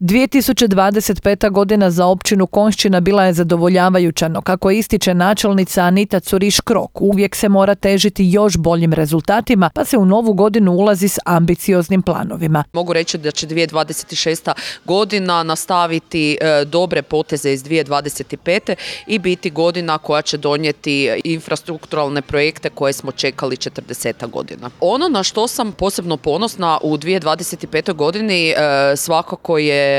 2025. godina za općinu Konjšćina bila je zadovoljavajuća, no kako ističe načelnica Anita Curiš-Krok, uvijek se mora težiti još boljim rezultatima, pa se u novu godinu ulazi s ambicioznim planovima. Mogu reći da će 2026. godina nastaviti dobre poteze iz 2025. i biti godina koja će donijeti infrastrukturalne projekte koje smo čekali 40 godina. Ono na što sam posebno ponosna u 2025. godini svakako je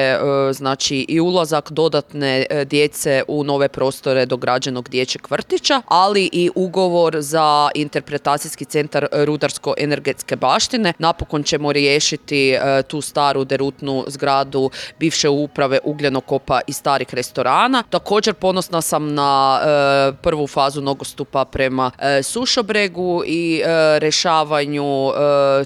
znači i ulazak dodatne djece u nove prostore dograđenog dječjeg vrtića, ali i ugovor za interpretacijski centar rudarsko-energetske baštine. Napokon ćemo riješiti tu staru derutnu zgradu bivše uprave ugljenokopa i starih restorana. Također ponosna sam na prvu fazu nogostupa prema Sušobregu i rješavanju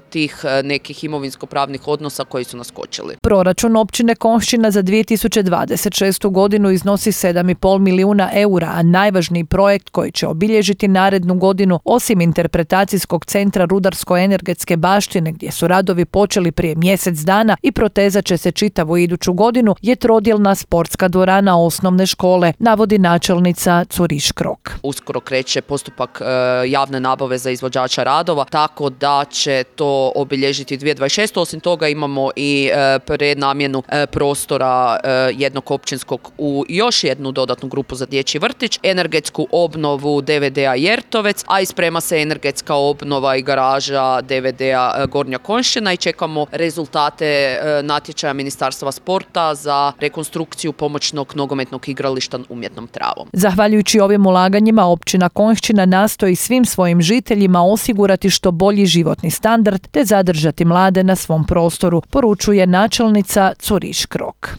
tih nekih imovinsko-pravnih odnosa koji su naskočili. Proračun općine Konjšćina za 2026. godinu iznosi 7,5 milijuna eura, a najvažniji projekt koji će obilježiti narednu godinu, osim interpretacijskog centra rudarsko-energetske baštine, gdje su radovi počeli prije mjesec dana i protezat će se čitavu iduću godinu, je trodjelna sportska dvorana osnovne škole, navodi načelnica Curiš-Krok. Uskoro kreće postupak javne nabave za izvođača radova, tako da će to obilježiti 2026. Osim toga imamo i prenamjenu prostora jednog općinskog u još jednu dodatnu grupu za dječji vrtić, energetsku obnovu DVD-a Jertovec, a i sprema se energetska obnova i garaža DVD-a Gornja Konjšćina i čekamo rezultate natječaja Ministarstva sporta za rekonstrukciju pomoćnog nogometnog igrališta umjetnom travom. Zahvaljujući ovim ulaganjima, općina Konjšćina nastoji svim svojim žiteljima osigurati što bolji životni standard te zadržati mlade na svom prostoru, poručuje načelnica Curiš-Krok.